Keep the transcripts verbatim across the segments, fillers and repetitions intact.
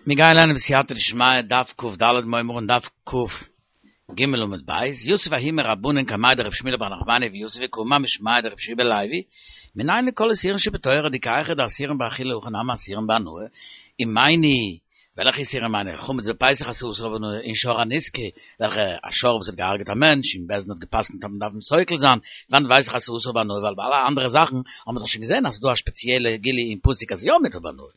מיר גייען לערנען בסייעתא דשמיא דף ק"ד מ'הייבן אן דף ק"ג עמוד ב', יתיב ההוא מרבנן קמיה דרב שמואל בר נחמני ויתיב וקאמר משמיה דרבי יהושע בן לוי, מנין לכל איסורין שבתורה דאיכא היכא דאסירן באכילה הכא נמי אסירן בהנאה, ומאי ניהו, וועלכע איסורים מיין איך? חמץ בפסח אז ס'אסור בהנאה און שור הנסקל, וועלכע א שור וואס האט געהארגעט א מענטש און בית דין האט געפסקנט אז מ'דארף אים סוקל זיין, וואנעט ווייס איך אז ס'אסור בהנאה ווייל ביי אלע אנדערע זאכן האט מען דאך שוין געזען אז ס'דא א שפעציעלע גילוי אין פסוק אז יא מותר בהנאה.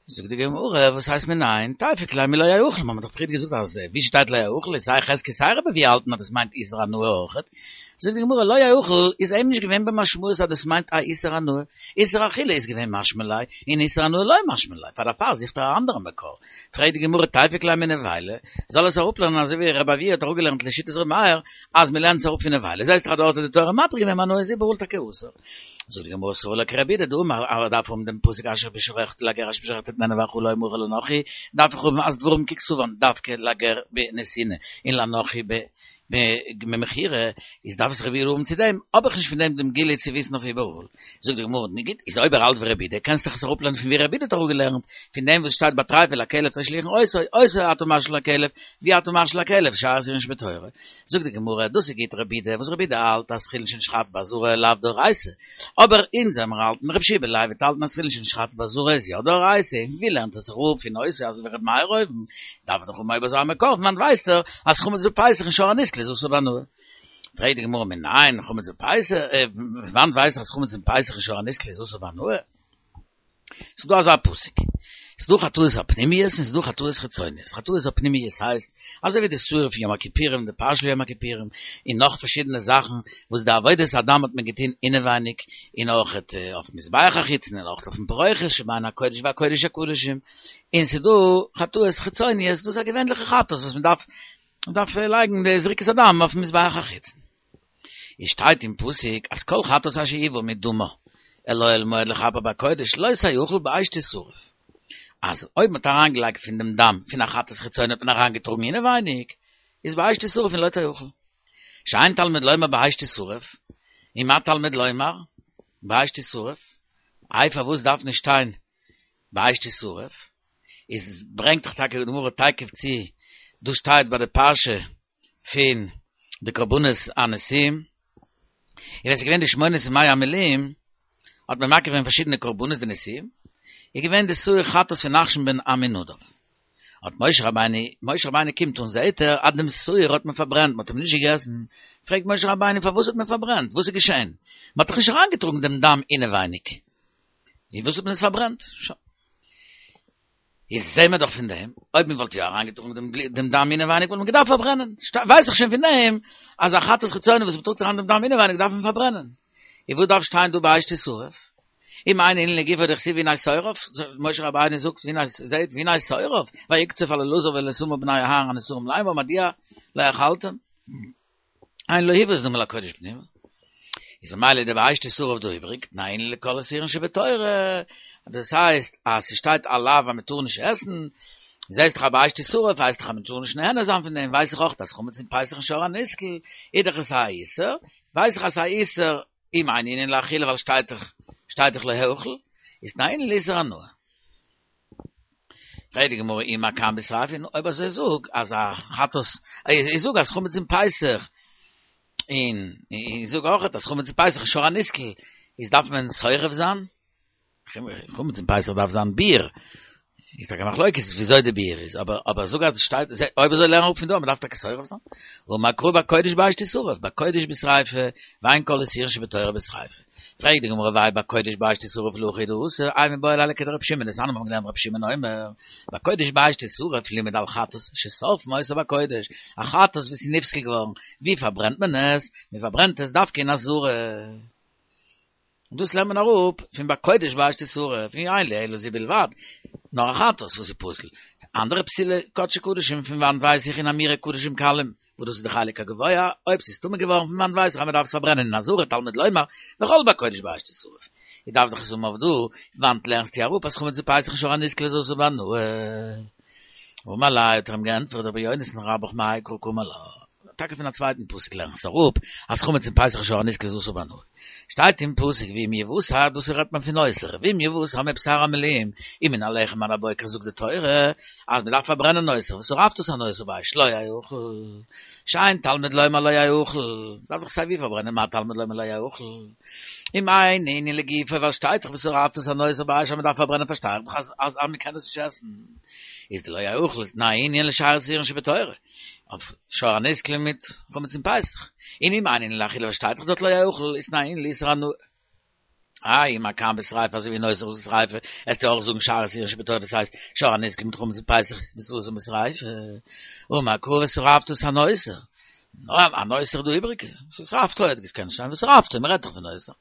זאגט די גמרא, וואס הייסט מנין? תיפוק ליה מלא יאכל, מ'האט דאך פריער געזאגט אז ווי שטייט לא יאכל איז סיי חזקיה סיי רבי אבהו האלטן אז דאס מיינט איסור הנאה אויכעט, זאגט די גמרא, לא יאכל איז אים נישט געווען במשמעות אז דאס מיינט א איסור הנאה, איסור אכילה איז געווען משמע ליה, און איסור הנאה לא משמע ליה, פאר דערפאר זוכט ער א אנדערע מקור. פרעגט די גמרא תיפוק ליה מנבילה, זאל עס אראפלערנען אזוי ווי רבי אבהו האט אראפגעלערנט לשיטת ר' מאיר אז מ'לערנט עס אראפ פון נבילה, זעסט דאך אז דארט האט די תורה מתיר געווען בהנאה איז איבעראל טאקע אסור. זאגט די גמרא סבר לה כרבי יהודה דאמר אז דארף האבן דעם פסוק אשר בשעריך לגר אשר בשעריך תתננה ואכלה לא ימכר לנכרי, דארף איך האבן אז דברים ככתבן דווקא לגר בנתינה און לנכרי במכירה, איז דארף עס רבי יהודה האבן צו דעם, האב איך נישט פון דעם דעם גילוי צו וויסן אויף איבעראל. זאגט די גמרא, נו גוט, איז אויב ער האלט ווי רבי יהודה, קענסט דאך עס אראפלערנען פון ווי רבי יהודה האט אראפגעלערנט, פון דעם וואס שטייט ביי טריפה לכלב תשליכון אותו, אותו אתה מכשיל לכלב, ואי אתה מכשיל לכלב, שאר איסורין שבתורה. זאגט די גמרא, דאס איז גוט רבי יהודה, וואס רבי יהודה האלט אז חולין שנשחטו בעזרה לאו דאורייתא, אבער אונז זעמער האלטן רבי יהושע בן לוי וועט האלטן אז חולין שנשחטו בעזרה איז יא דאורייתא, און ווי לערנט ער זיך אפ פון אותו אזוי ווי רבי מאיר אויבן, דארף ער דאך האבן אויב אזוי א מקור פון וואנעט ווייסט ער אז חמץ בפסח און שור הנסקל איז אסור בהנאה. פרעגט די גמרא מנין חמץ בפסח, פון וואנעט ווייסט ער אז חמץ אין פסח און שור הנסקל איז אסור בהנאה? ס'איז דא אזא פסוק, ס'איז דא חטאות הפנימיות און ס'איז דא חטאות חיצוניות, חטאות הפנימיות הייסט אזוי ווי די שעיר פון יום הכיפורים, די פר של יום הכיפורים, און נאך פארשידענע זאכן וואס די עבודת הדם האט מען געטון אינעווייניג, און אויכעט אויפן מזבח החיצון און אויכעט אויפן פרוכת שבין הקודש והקודש הקדשים, און ס'איז דא חטאות חיצוניות, דאס איז א געווענליכע חטאת וואס מ'דארף מ'דארף לייגן די זריקת הדם אויפן מזבח החיצון. איז שטייט אין פסוק אז כל חטאת אשר יובא מדמה אל אוהל מועד לכפר בקודש לא תאכל באש תשרף, אז אויב מ'האט אריינגעלייגט פון דעם דם פון א חטאת חיצונה האט מען אריינגעטראגן אינעווייניג, איז באש תשרף און לא תאכל. שאין תלמוד לומר באש תשרף, און מה תלמוד לומר באש תשרף, איי פארוואס דארף נישט שטיין באש תשרף, איז ברענגט דאך טאקע די גמרא תיכף צו, דאס שטייט ביי די פרשה פון די קרבנות הנשיאים, און ווען ס'איז געווען די שמונת ימי המילואים, האט מען מקריב געווען פארשידענע קרבנות די נשיאים, איז געווען די שעיר חטאת פון נחשון בן עמינדב. האט משה רבינו, משה רבינו קומט אן זעהט ער אז דעם שעיר האט מען פארברענט, מען האט אים נישט געגעסן, פרעגט משה רבינו פארוואס האט מען פארברענט, וואס איז געשען, מען האט דאך נישט אריינגעטראגן דעם דם אינעווייניג, און וואס האט מען עס פארברענט? שוין. איז זעהן מיר דאך פון דעם, אויב מען וואלט יא אריינגעטראגן דעם דעם דם אינעווייניג וואלט מען געדארפט פארברענען, ווייס איך שוין פון דעם אז א חטאת חיצונה וואס מען טראגט אריין דעם דם אינעווייניג דארף מען פארברענען. און וואס דארף שטיין דא באש תשרף? ומאי ניהו לגופיה דכתיב והנה שורף, משה רבינו זאגט והנה זעהט והנה שורף, ויקצוף על אלעזר ועל איתמר בני אהרן הנותרים לאמר מדוע לא אכלתם? הן לא הובא את דמו לקודש פנימה. איז ממילא די באש תשרף דא איבריג, תנהו לכל איסורין שבתורה, דאס הייסט אז ס'שטייט א לאו אז מ'טאר נישט עסן, זעסט דאך אז באש תשרף הייסט דאך אז מ'טאר נישט נהנה זיין פון דעם, ווייס איך אויך אז חמץ אין פסח און שור הנסקל איז דאך עס א איסור, ווייס איך אז ס'איז א איסור ומאי ניהו לאכילה ווייל שטייט דאך שטייט דאך לא יאכל, איז תנהו לאיסור הנאה. פרעגט די גמרא אי אמר כאן בשריפה, נו אויב אזוי זאג אז א חטאת, איך זאג אז חמץ אין פסח, און איך זאג אויך אז חמץ אין פסח און שור הנסקל, איז דארף מען שורף זיין? חמץ אין פסח דארף זיין ביעור, איז טאקע מחלוקת וויאזוי די ביעור איז, אבער אבער זאג אז שטייט, אויב אזוי לערן אפ פון דא אז מען דארף טאקע שורף זיין, אמר קרא בקודש באש תשרף, בקודש בשריפה, ואין כל איסורין שבתורה בשריפה. פרעגט די גמרא והאי בקודש באש תשרף להכי הוא דאתא, אימא מיבעי ליה לכדרבי שמעון, דתניא מיר האבן געלערנט רבי שמעון אומר, בקודש באש תשרף לימד על חטאת ששורפין אותה בקודש, א חטאת וואס איז נפסל געווארן, ווי פארברענט מען עס? מען פארברענט עס דווקא אין עזרה. און דאס לערנט מען אראפ פון בקודש באש תשרף, און אין לי אלא זו בלבד, נאר א חטאת וואס איז פסול, אנדערע פסול'ע קדשי קדשים פון וואנט ווייס איך און אמירה קדשים קלים, וואס דאס איז די חלק הגבוה, אויב ס'איז טמא געווארן פון וואנט ווייס איך אז מ'דארף עס פארברענען אין עזרה תלמוד לומר, וכל בקודש באש תשרף. איך דארף דאך עס האבן אויף דא, וואנט לערנסטו אראפ אז חמץ בפסח און שור הנסקל איז אסור בהנאה? אמר ליה האט ער אים געענטפערט רבי יונתן רבך מהאי קרא קאמר לך, טאקע פון א צווייטן פסוק לערן איך עס אראפ, אז חמץ אין פסח און שור הנסקל איז אסור בהנאה. שטייט אין פסוק ואם יבוסר, דאס רעדט מען פון נותר, ואם יבוסר מבשר המלאים, ומן הלחם עד הבוקר זאגט די תורה, אז מען דארף פארברענען נותר, ושרפת את הנותר באש לא יאכל, שאין תלמוד לומר לא יאכל, דארף דאך סיי ווי פארברענען, מה תלמוד לומר לא יאכל? אם אינו ענין לגופו, ווייל שטייט דאך ושרפת את הנותר באש אז מען דארף פארברענען פארשטיי איך דאך אז אז מען קען עס נישט עסן. איז די לא יאכל איז תנאי ענין לשאר איסורין שבתורה, אויף שור הנסקל מיט חמץ אין פסח. און אם אינו ענין לאכילה וואס שטייט דאך דארט לא יאכל איז תנאי ענין לאיסור הנאה. איי מה כאן בשריפה אזוי ווי נותר וואס איז שריפה, וועסטו אויך זאגן שאר איסורין שבתורה דאס הייסט שור הנסקל מיט חמץ אין פסח איז אסור בשריפה. אמר קרא ושרפת את הנותר. נאר הנותר איז דא איבריגע. ושרפתו האט געקענט שטיין ושרפתו, מ'רעדט דאך פון נותר.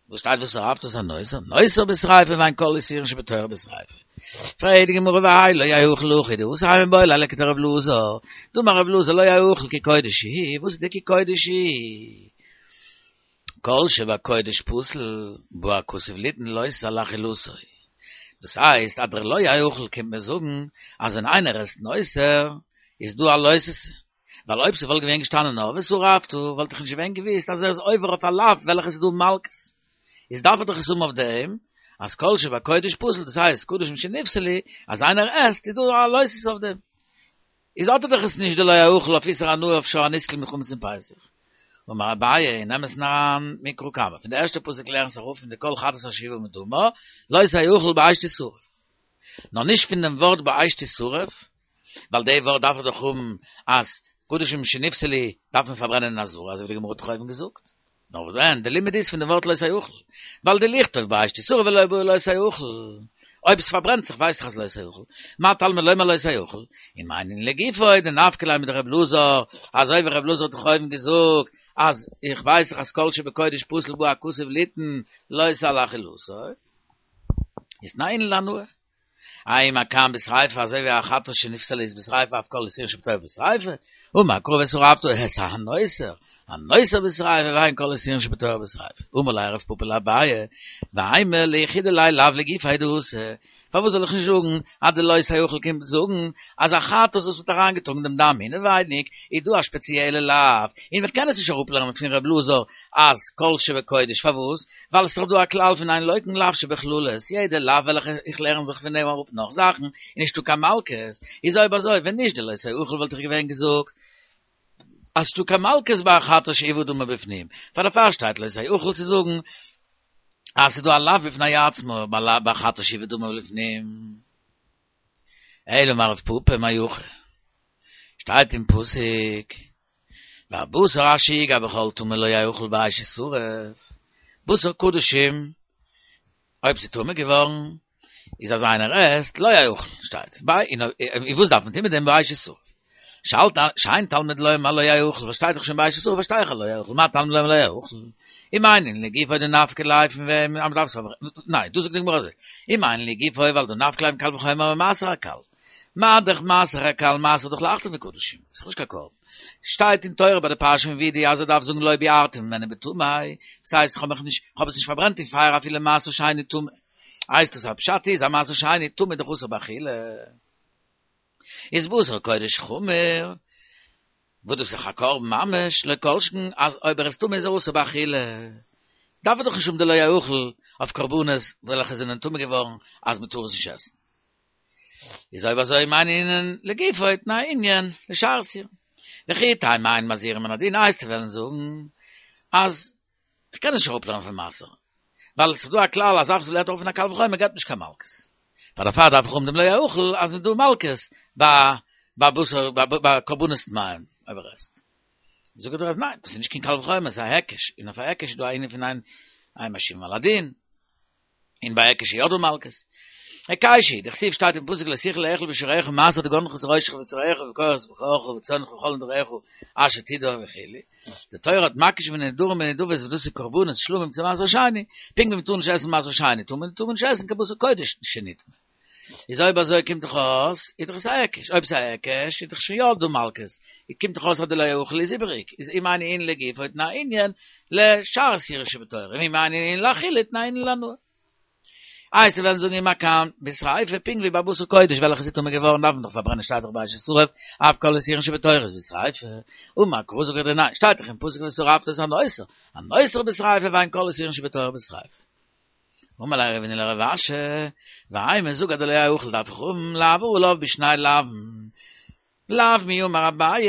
וואס שטייט ושרפת את הנותר? נותר בשריפה ואין כל איסורין שבתורה בשריפה. פרעגט די גמרא והאי לא יאכל הכי דאתא האי מיבעי ליה לכדרב אלעזר, דאמר רב אלעזר לא יאכל כי קודש הוא, וואס איז די כי קודש הוא? כל שבקודש פסול, בא הכתוב ליתן לא תעשה על אכילתו. דאס הייסט אז דער לא יאכל קומט מיר זאגן אז ווען איינער עסט נותר איז דא א לא תעשה. ווייל אויב ס'וואלט געווען געשטאנען נאר ושרפת וואלט איך נישט געווען געוויסט אז ער איז עובר אויף א לאו וועלכע ס'איז דא מלקות. איז דארף ער דאך עס האבן אויף דעם אז כל שבקודש פסול דאס הייסט קדשים שנפסלו אז איינער עסט איז דא א לא תעשה אויף דעם. איז האט ער דאך עס נישט די לא יאכל אויף איסור הנאה אויף שור הנסקל מיט חמץ אין פסח. אמר אביי אין אמת'ן אריין מקרא קמא פון די ערשטע פסוק לערנט זיך אראפ פון די כל חטאת אשר יובא מדמה לא תאכל באש תשרף. נאר נישט פון דעם ווארט באש תשרף, ווייל די ווארט דארף איך דאך האבן אז קדשים שנפסלו דארף מען פארברענען אין עזרה אזוי ווי די גמרא האט דאך אויבן געזאגט. נאר וואס דען, די לימוד איז פון דעם ווארט לא תאכל, ווייל דלכתוב באש תשרף ולא בעי לא תאכל, אויב עס פארברענט זיך ווייסט איך אז לא תאכל, מה תלמוד לומר לא תאכל, אם אינו ענין לגופו דנפקא ליה מדר' אלעזר, אזוי ווי ר' אלעזר האט דאך אויבן געזאגט אז איך ווייס דאך אז כל שבקודש פסול בא הכתוב ליתן לא תעשה על אכילתו, איז תנאי ענין להנאה. איי מה כאן בשריפה אזוי ווי א חטאת שנפסלה איז בשריפה אף כל איסורין שבתורה בשריפה, אמר קרא ושרפת את הנותר, הנותר בשריפה ואין כל איסורין שבתורה בשריפה. אמר ליה רב פפא לאביי, ואימא לייחודי ליה לאו לגופיה דאתא, פארוואס זאל איך נישט זאגן אז די לא תאכל קומט זאגן אז א חטאת וואס מ'האט אריינגעטראגן דעם דם אינעווייניג איז דא א שפעציעלע לאו, און איך קען עס נישט אראפלערנען פון ר' אלעזר אז כל שבקודש, פארוואס? ווייל עס איז דאך דא א כלל פון אין לוקין לאו שבכללות, יעדע לאו וועלכע איך לערן זיך פון דעם אראפ נאך זאכן, איז נישטא קיין מלקות, איז אויב אזוי ווען נישט די לא תאכל וואלט איך געווען געזאגט אז ס'נישטא קיין מלקות ביי א חטאת שעיוה דמה בפנים, פאר דערפאר שטייט לא תאכל צו זאגן אז ס'איז דא א לאו בפני עצמו ביי חטאת שעיוה דמה בפנים. אלא אמר רב פפא מאי הכא, שטייט אין פסוק והבשר אשר יגע בכל טמא לא יאכל באש ישרף, בשר קדשים, אויב ס'איז טמא געווארן, איז אז איינער עסט, לא יאכל, שטייט, ביי, און וואס דארף מען טון מיט דעם באש ישרף? שאלת, שאין תלמוד לומר לא יאכל, פארשטייט זיך שוין באש ישרף פארשטיי איך אז לא יאכל, מה תלמוד לומר לא יאכל? אם אינו ענין לגופו דנפקא ליה פון וועם אז מ'דארף עס פארברענען, ניין, דא זאגט די גמרא אזוי, אם אינו ענין לגופו ווייל דהא נפקא ליה מקל וחומר ממעשר הקל. מה דאך מעשר הקל מעשר דאך לייכטער פון קדשים, ס'איז נישט קיין קרבן. שטייט אין תורה ביי די פרשה פון וידוי אז ער דארף זאגן לא ביערתי ממנו בטמא, דאס הייסט איך האב מיך נישט, איך האב עס נישט פארברענט אין פייער אפילו מעשר שני טמא. הייסט דאס אז פשט איז אז מעשר שני טמא איז דאך אסור באכילה. איז בשר קודש חמור, וואס דאס איז דאך א קרבן ממש, לא כל שכן אז אויב ער איז טמא איז ער אסור באכילה. דארף ער דאך נישט האבן די לא יאכל אויף קרבנות וועלכע זענען טמא געווארן אז מען טאר עס נישט עסן. איז אויב אזוי אם אינו ענין לגופו תנאי ענין לשאר איסורין. וכי תימא אין מזהירין מן הדין וועסטו וועלן זאגן אז איך קען נישט אראפלערנען פון מעשר ווייל עס איז דא א כלל אז א זאך וואס מ'לערנט אראפ פון א קל וחומר געבט נישט קיין מלקות. פאר דערפאר דארף איך האבן דעם לא יאכל אז ס'איז דא מלקות ביי ביי בשר ביי קרבנות טמאים אויב ער עסט. זאגט ער אז ניין דאס איז נישט קיין קל וחומר עס איז א היקש און אויף א היקש איז דא א ענין פון אין אין משיבין על הדין. און ביי היקש איז יא דא מלקות. היקש הוא, דכתיב שטייט אין פסוק לא תוכל לאכול בשעריך מעשר דגנך ותירושך ויצהרך ובכורות בכורך וצאנך וכל נדריך אשר תדור וכו'. די תורה האט מקיש געווען נדרים און נדבות וואס דאס איז קרבנות שלמים צו מעשר שני, פונקט ווי מ'טאר נישט עסן מעשר שני טאר מען טאר מען נישט עסן קיין בשר קודש שנטמא. איז אויב אזוי קומט דאך אויס איז דאך עס א היקש, אויב ס'איז א היקש איז דאך שוין יא דא מלקות, קומט דאך אויס אז די לא יאכל איז איבעריג, איז אם אינו ענין לגופו תנאי ענין לשאר איסורין שבתורה, ואם אינו ענין לאכילה תנאי ענין להנאה. איי זיי וועלן זאגן אם מכאן בשריפה פונקט ווי ביי בשר קודש וועלכע איז טמא געווארן דארף מען דאך פארברענען שטייט דאך באש ישרף אף כל איסורין שבתורה איז בשריפה אמר קרא זאג איך דיר ניין שטייט דאך אין פסוק ושרפת את הנותר הנותר בשריפה ואין כל איסורין שבתורה בשריפה אמר ליה רבינא לרב אשי ואימא זאג אז די לא יאכל דארף איך האבן לאו עליו בשני לאווין לאו מי אמר אביי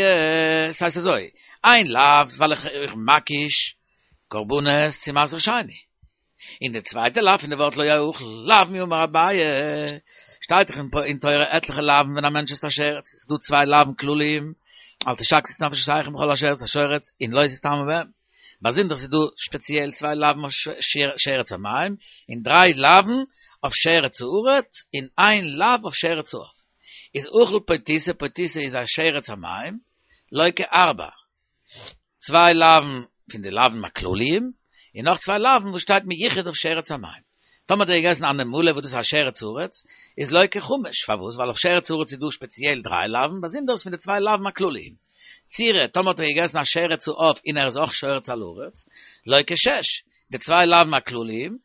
ס'הייסט אזוי איין לאו ווייל איך בין מקיש קרבנות צו מעשר שני און די צווייטע לאו פון די ווארט לא יאכל, לאו מי אמר אביי, שטייט דאך אין תורה עטליכע לאוו'ן ווען א מענטש עסט א שרץ, ס'איז דא צוויי לאוו'ן כלליים, אל תשקצו את נפשותיכם בכל אשר השורץ און לא תטמאו בהם, באזונדער ס'איז דא שפעציעל צוויי לאוו'ן אויף שרץ המים, און דריי לאוו'ן אויף שרץ הארץ, און איין לאו אויף שרץ העוף. איז אכל פוטיתא, פוטיתא איז א שרץ המים, לוקה ארבע. צוויי לאוו'ן פון די לאוו'ן הכלליים, און נאך צוויי לאוו'ן וואס שטייט מיוחד אויף שרץ המים. טאמער האט ער געגעסן א נמלה וואס דאס איז א שרץ הארץ, איז לוקה חמש, פארוואס? ווייל אויף שרץ הארץ איז דא שפעציעל דריי לאוו'ן, באזונדערס פון די צוויי לאוו'ן הכלליים. צורא, טאמער האט ער געגעסן א שרץ העוף און ער איז אויך שורץ על הארץ, לוקה שש, די צוויי לאוו'ן הכלליים,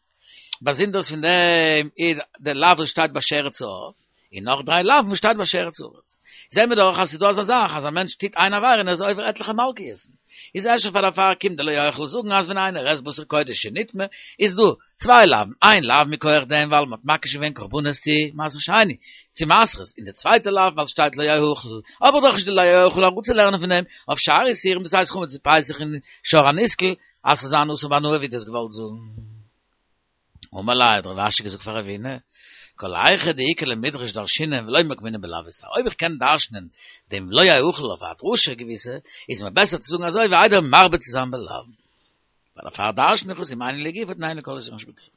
באזונדערס פון דעם איז די לאו וואס שטייט ביי שרץ העוף, און נאך דריי לאוו'ן וואס שטייט ביי שרץ הארץ. זעהן מיר דאך אז ס'איז דא אזא זאך אז א מענטש טוט איין עבירה און ער איז עובר עטליכע מלקיות'ן. איז אפשר פאר דערפאר קומט די לא יאכל זאגן אז ווען איינער עסט בשר קודש שנטמא איז דא צוויי לאוו'ן, איין לאו מכח דעם ווייל מ'האט מקיש געווען קרבנות צו מעשר שני, צו מעשרות, און די צווייטע לאו ווייל ס'שטייט לא יאכל, אבער דאך נישט די לא יאכל אראפצולערנען פון דעם אויף שאר איסורים דאס הייסט חמץ בפסח און שור הנסקל אז ס'זאל זיין אסור בהנאה ווי דו האסט געוואלט זאגן. אמר ליה האט רב אשי געזאגט פאר רבינא, כל היכא דאיכא למידרש דרשינן ולא מוקמינן בלאו איסור, אויב איך קען דרשנ'ען דעם לא יאכל אויף א דרשה געוויסע, איז מיר בעסער צו זאגן אזוי ווי איידער מרבה צו זיין בלאו. ווייל דערפאר דרשן איך עס אם אינו לגופו תנהו לכל איסורין שבתורה.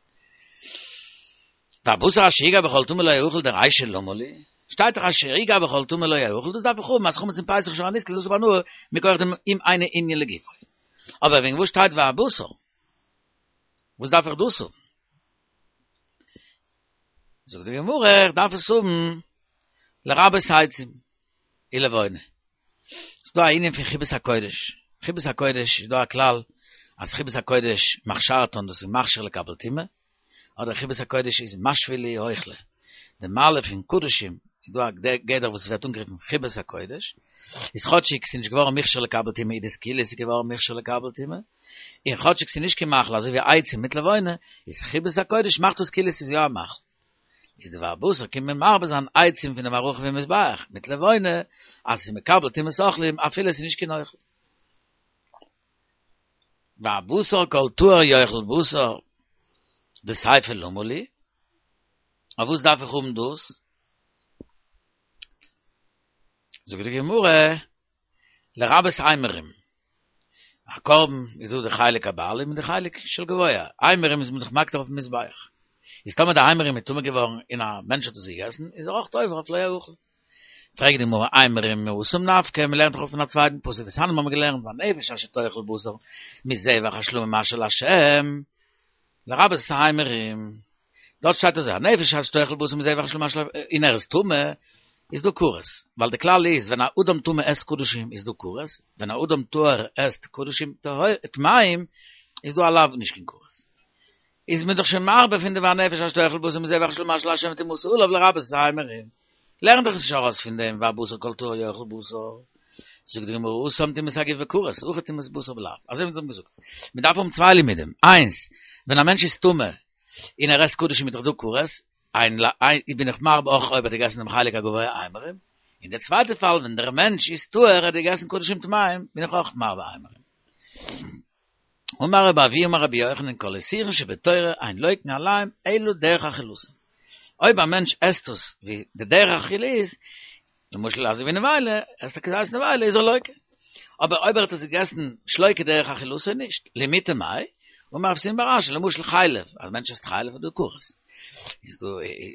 והבשר אשר יגע בכל טמא לא יאכל דרישא למה לי? שטייט דאך אשר יגע בכל טמא לא יאכל, דאס דארף איך האבן אז חמץ אין פסח שור הנסקל איז אסור בהנאה מכח דעם אם אינו ענין לגופו. אבער וועגן וואס שטייט והבשר? וואס דארף איך דאס האבן? זאגט די גמרא, איך דארף עס האבן לרבות עצים ולבונה. ס'איז דא א ענין פון חיבת הקודש, חיבת הקודש איז דא א כלל אז חיבת הקודש מכשרתן דאס איז מכשיר לקבל טומאה, אדער חיבת הקודש איז משוי להו אוכלא. די מעלה פון קדשים איז דא א גדר וואס ווערט אנגערופן חיבת הקודש, איז כאטשיג ס'איז נישט געווארן מוכשר לקבל טומאה איז דאס כאילו ס'איז געווארן מוכשר לקבל טומאה, און כאטשיג ס'איז נישט קיין מאכל אזוי ווי עצים מיט לבונה, איז חיבת הקודש מאכט עס כאילו ס'איז יא א מאכל. איז די והבשר קומט מען מרבה זיין עצים פון די מערכה פון מזבח מיט לבונה אז ס'איז מקבל טומאת אוכלים אפילו ס'איז נישט קיין אוכל. והבשר כל טהור יאכל בשר דסיפא למה לי? אויף וואס דארף איך האבן דאס? זאגט די גמרא, לרבות אימורים, א קרבן איז דא די חלק הבעלים און די חלק של גבוה, אימורים איז מען דאך מקטיר אויפן מזבח, איז טאמער די אימורים איז טמא געווארן און א מענטש האט עס געגעסן, איז ער אויך עובר אויף לא יאכל. פרעגט די גמרא, אימורים מהתם נפקא, מען לערנט דאך אפ פון א צווייטן פסוק, דתניא מיר האבן געלערנט והנפש אשר תאכל בשר מזבח השלמים אשר לה', לרבות האימורים, דארט שטייט אזוי, הנפש אשר תאכל בשר מזבח השלמים אשר לה', און ער איז טמא, איז דא כרת, ווייל די כלל איז ווען א אדם טמא עסט קדשים איז דא כרת, ווען א אדם טהור עסט קדשים טמאים איז דא א לאו נישט קיין כרת. איז מען דאך שוין מרבה פון די והנפש אשר תאכל בשר מזבח השלמים אשר לה' וטומאתה עליו לרבות האימורים. לערנט דאך נישט ארויס פון דעם והבשר כל טהור יאכל בשר. זאגט די גמרא התם טומאת הגוף בכרת, הכא טומאת בשר בלאו. אזוי ווי אונז האבן געזאגט. מען דארף האבן צוויי לימודים. איינס, ווען א מענטש איז טמא און ער עסט קדשים איז דאך דא כרת, איין איין בין איך מרבה אויך אויב האט ער געגעסן דעם חלק הגבוה אימורים. און דער צווייטער פאל ווען דער מענטש איז טהור האט ער געגעסן קדשים טמאים בין איך אויך מרבה אימורים. אמר רבי אבהו אמר רבי יוחנן כל איסורין שבתורה אין לוקין עליהם אלא דרך אכילתן. אויב א מענטש עסט עס ווי די דרך אכילה איז, למשל אזוי ווי נבילה, עסט א כזית נבילה איז ער לוקה. אבער אויב ער האט עס געגעסן שלא כדרך אכילתו נישט. למעוטי מאי? אמר רב שימי בר אשי, למשל חלב, אז א מענטש עסט חלב איז דא כרת. איז דא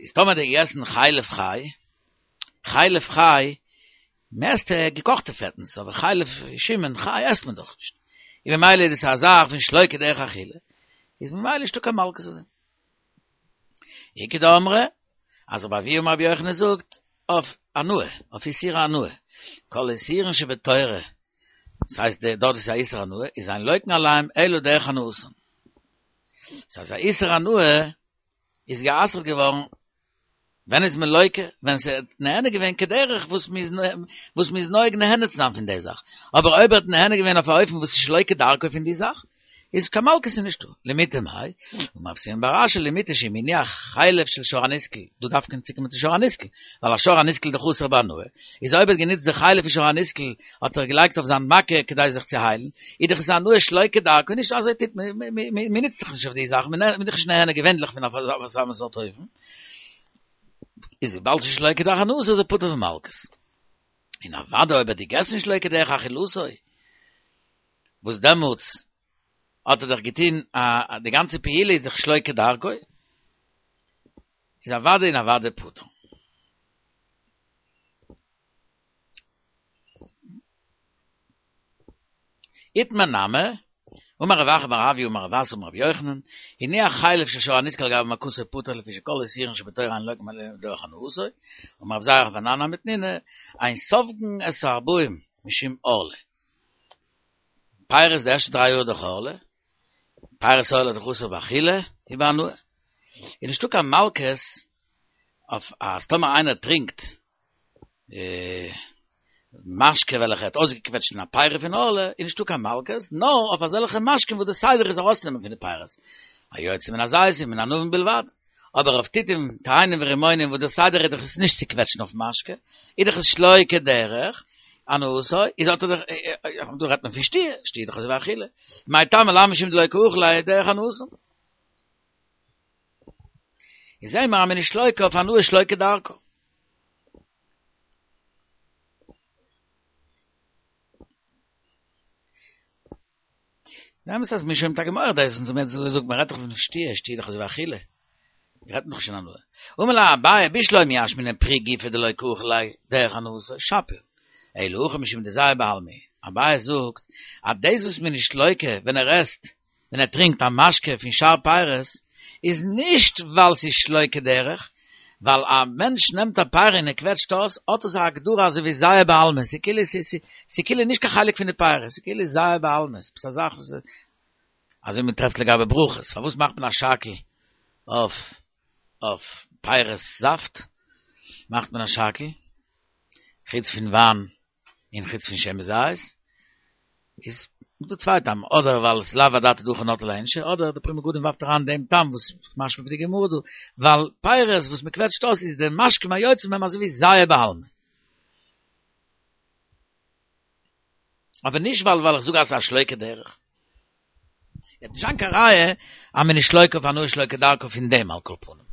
איז טאמער האט ער געגעסן חלב חי, חלב חי, מ'עסט געקאכטע פעטנס, אבער חלב שמן חי עסט מען דאך נישט. און ממילא איז עס א זאך פון שלא כדרך אכילה, איז ממילא נישטא קיין מלקות אויף דעם. איכא דאמרי, אז רבי אבהו אמר רבי יוחנן זאגט אויף הנאה, אויף איסור הנאה, כל איסורין שבתורה, דאס הייסט דארט איז א איסור הנאה, איז אין לוקין עליהם אלא דרך הנאתן. ס'איז א איסור הנאה, איז גע'אסר'ט געווארן, ווען איז מען לוקה? ווען ס'האט נהנה געווען כדרך וואס מ'איז וואס מ'איז נוהג נהנה צו זיין פון די זאך, אבער אויב ער האט נהנה געווען אויף א אופן וואס איז שלא כדרכו פון די זאך, איז קיין מלקות איז נישטא. למעוטי מאי? אמר רב שימי בר אשי למעוטי שאם הניח חלב של שור הנסקל, דא דארף מען צוקומען צו שור הנסקל, ווייל א שור הנסקל דאך אסור בהנאה, איז אויב ער האט גענוצט די חלב פון שור הנסקל האט ער געלייגט אויף זיין מכה כדי זיך צו היילן, איז דאך עס הנאה שלא כדרכו, נישט אזוי טוט מען, מען נוצט זיך נישט אויף די זאכן, מען איז דאך נישט נהנה געווענליך פון אזא סארט אופן, איז וויבאלד ס'איז שלא כדרך הנאתו איז ער פטור פון מלקות. און אוודאי אויב ער האט געגעסן שלא כדרך אכילתו, וואס דעמאלטס האט ער דאך געטון א די גאנצע פעולה איז דאך שלא כדרכו, איז אוודאי און אוודאי פטור. איתמר נמי, אמר רב אחא בר אויא אמר רב אסי אמר רבי יוחנן, הניח חלב של שור הנסקל על גבי מכתו פטור לפי שכל איסורין שבתורה אין לוקין אלא מדרך הנאתו, אמר רב זירא אנן נמי תנינא, אין סופגין את הארבעים משום ערלה. פירות די ערשטע דריי יאר דאך ערלה, פירות ערלה דאך אסור באכילה ובהנאה, איז נישטא קיין מלקות אויף אז טאמער איינער טרינקט משקה וועלכע האט אויסגעקוועטשט אין א פרי פון ערלה איז נישטא קיין מלקות, נאר אויף אזעלכע משקים וואס די סדר איז ארויסצונעמען פון די פירות, היוצא מן הזיתים ומן הענבים בלבד, אבער אויף תותים, תאנים ורימונים וואס די סדר איז דאך עס נישט צו קוועטשן אויף משקה, איז דאך עס שלא כדרך הנאתו, איז האט ער דאך, דא רעדט מען פון שתיה, שתיה איז דאך אזוי ווי אכילה, מאי טעמא לאו משום דלא קאכיל ליה דרך הנאתו. איז זעהן מיר אז מען איז נישט לוקה אויף הנאה שלא כדרכו. דער אמת אז מיר שוין טאקע מורא דאס אונז האבן יעצט געזאגט מען רעדט דאך פון שתיה שתיה איז דאך אזוי ווי אכילה רעדט מען דאך שוין הנאה אמר ליה אביי בשלמא אי אשמעינן פרי גופיה דלא קאכיל ליה דרך הנאתו שפיר אלא הכא משום דזיעה בעלמא אביי זאגט אז דאס וואס מען איז נישט לוקה ווען ער עסט ווען ער טרינקט א משקה פון שאר פירות, איז נישט ווייל ס'איז שלא כדרך, ווייל א מענטש נעמט א פרי און ער קוועטשט אויס, האט עס א הגדרה אזוי ווי זיעה בעלמא, ס'איז כאילו ס'איז כאילו נישט קיין חלק פון די פירות, ס'איז כאילו זיעה בעלמא, ס'איז א זאך וואס אזוי מען טרעפט לגבי ברכות, פארוואס מאכט מען א שהכל אויף אויף פירות זאפט מאכט מען א שהכל, חוץ פון וויין און חוץ פון שמן זית, איז דא צוויי טעמים, אדער ווייל עס לאו אדעתא דהכי נטעי ליה אינשי, אדער די פרי מגדים ווארפט אריין דעם טעם וואס משמע פון די גמרא דא, ווייל פירות וואס מען קוועטשט אויס איז די משקה היוצא מהם אזוי ווי זיעה בעלמא. אבער נישט ווייל ווייל איך זאג אז עס איז א שלא כדרך. וועט נישט זיין קיין ראיה אז מען איז נישט לוקה אויף הנאה שלא כדרכו פון דעם על כל פנים.